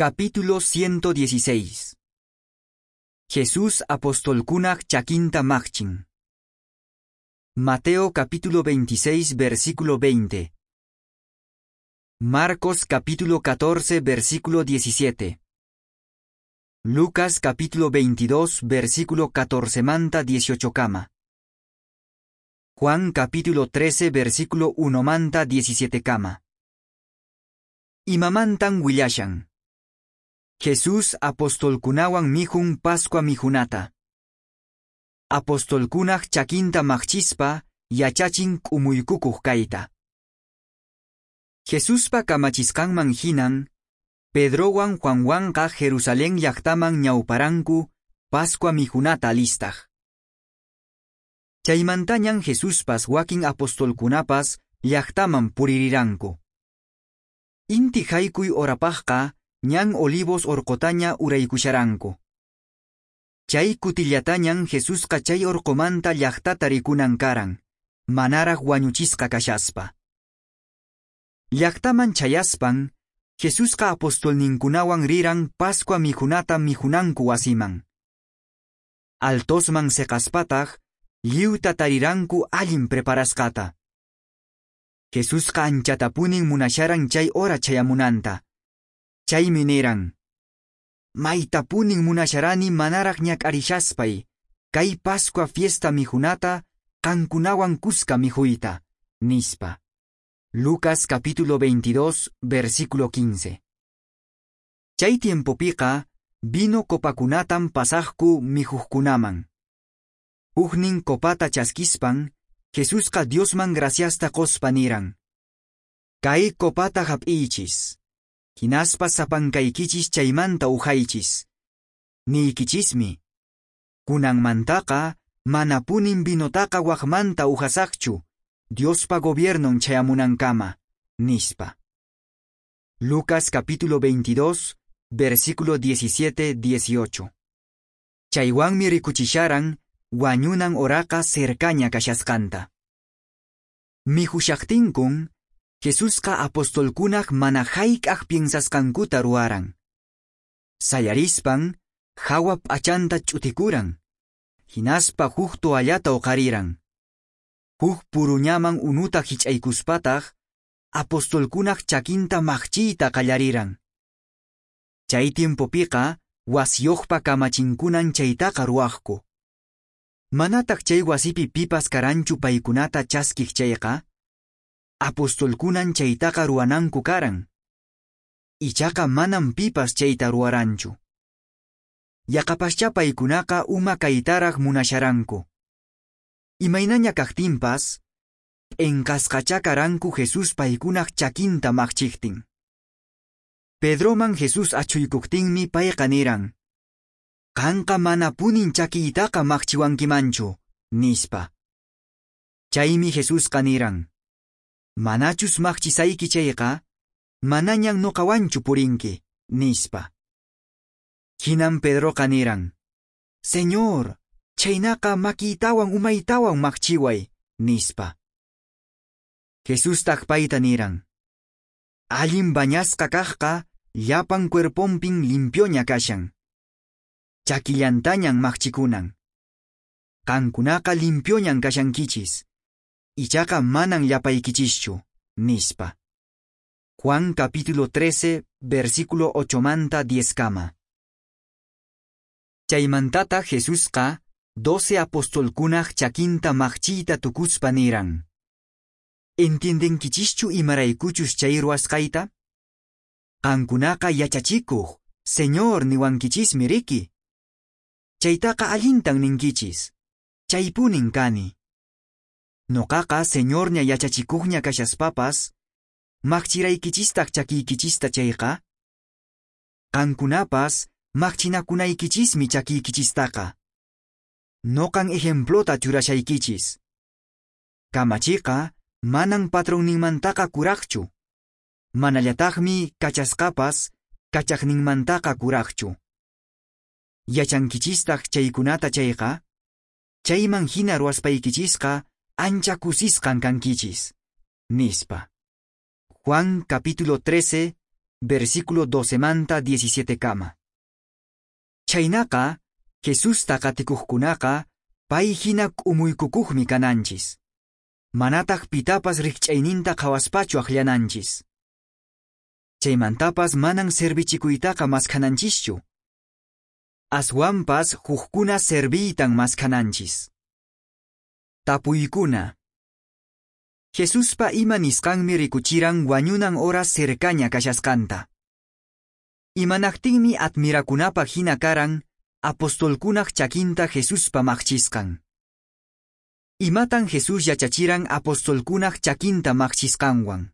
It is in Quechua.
Capítulo 116. Jesús apostolkunaq chakinta maqchin. Mateo capítulo 26 versículo 20. Marcos capítulo 14 versículo 17. Lucas capítulo 22 versículo 14 manta 18 kama. Juan capítulo 13 versículo 1 manta 17 kama. Imamantan willashan. Jesús apostolkunawan mikhun Pascua mikhunata. Apostolkunaq chakinta maqchispa yachachin k'umuykukuq kayta. Jesuspa kamachisqanman hinan, Pedrowan Juanwanqa Jerusalén llaqtaman ñawparanku Pascua mikhunata alistaq. Chaymantañan Jesuspas wakin apostolkunapas llaqtaman puririranku. Inti haykuy horapaqqa ñan Olivos orqotaña uraykusharanku. Chay kutillatañan Jesusqa chay orqomanta llaqtata rikunan karan, manaraq wañuchisqa kashaspa. Llaqtaman chayaspan, Jesusqa apostolninkunawan riran Pascua mikhunata mikhunanku wasiman. Altosman seqaspataq, lliwta tariranku allin preparasqata. Jesusqa anchatapunin munasharan chay hora chayamunanta. Chaymi niran: Maytapunin munasharani manaraq ñak'arishaspay, kay Pascua fiesta mikhunata qankunawan kuska mikhuyta, nispa. Lucas capítulo 22, versículo 15. Chay tiempopiqa vino copakunatan pasaqku mikhuqkunaman. Huknin copata chaskispan, Jesusqa Diosman graciasta qospa niran: Kay copata hap'iychis. Hinaspa sapankaykichis chaymanta uhaychis. Niykichismi: Kunanmantaqa manapunin vinotaqa waqmanta uhasaqchu, Diospa gobiernon chayamunankama, nispa. Lucas capítulo 22, versículo 17-18. Chaywanmi rikuchisharan wañunan horaqa cercaña kashasqanta. Mikhushaqtinkun, Jesusqa apostolkunaq mana hayk'aq piensasqankuta ruwaran. Sayarispan, hawa p'achanta ch'utikuran. Hinaspa huk toallata uqariran. Huk puruñaman unuta hich'aykuspataq, apostolkunaq chakinta maqchiyta qallariran. Chay tiempopiqa, wasiyuqpa kamachinkunan chaytaqa ruwaqku. Manataq chay wasipi pipas karanchu paykunata chaskiq chayqa, apostolkunan chaytaqa ruwananku karan. Ichaqa manam pipas chayta ruwaranchu. Yaqapaschá paykunaqa uma kaytaraq munasharanku. Imaynaña kaqtinpas, p'enqasqachá karanku Jesús paykunaq chakinta maqchiqtin. Pedroman Jesús achhuykuqtinmi payqa niran: Qanqa manapunin chakiytaqa maqchiwankimanchu, nispa. Chaymi Jesusqa niran: Manachus maqchisayki chayqa, manañan nuqawanchu purinki, nispa. Hinan Pedroqa niran: Señor, chaynaqa makiytawan umaytawan maqchiway, nispa. Jesustaq payta niran: Allin bañasqa kaqqa llapan cuerponpin limpioña kashan. Chakillantañan maqchikunan. Qankunaqa limpioñan kashankichis. Ichaqa manan llapaykichischu, nispa. Juan capítulo 13, versículo 8 manta 10 kama. Chaymantata Jesusqa 12 apostolkunaq chakinta maqchiyta tukuspa niran: Entiendenkichischu imaraykuchus chay ruwasqayta? Qankunaqa yachachikuq, Señor niwankichismi riki. Chaytaqa allintan ninkichis. Chaypunin kani. Noqaqa Señorña yachachikuqña kashaspapas, maqchiraykichistaq chakiykichista chayqa, qankunapas maqchinakunaykichismi chakiykichistaqa. Noqan ejemplota churashaykichis. Kamachiqa manan patronninmantaqa kuraqchu. Manallataqmi kachasqapas kachaqninmantaqa kuraqchu. Yachankichistaq chaykunata chayqa, chayman hina ruwaspaykichisqa ancha kusisqan kankichis, nispa. Juan capítulo 13, versículo 12 manta 17 kama. Chhaynaqa, Jesusta qatikuqkunaqa pay hina k'umuykukuqmi kananchis. Manataq pitapas rikch'ayninta qhawaspachu akllananchis. Chaymantapas manan servichikuytaqa maskananchischu. Aswanpas hukkuna serviytan maskhananchis. Tapuykuna. Jesuspa ima nisqanmi rikuchiran wañunan hora cercaña kashasqanta. Imanaqtinmi admirakunapaq hina karan apostolkunaq chakinta Jesuspa maqchisqan. Imatan Jesús yachachiran apostolkunaq chakinta maqchisqanwan.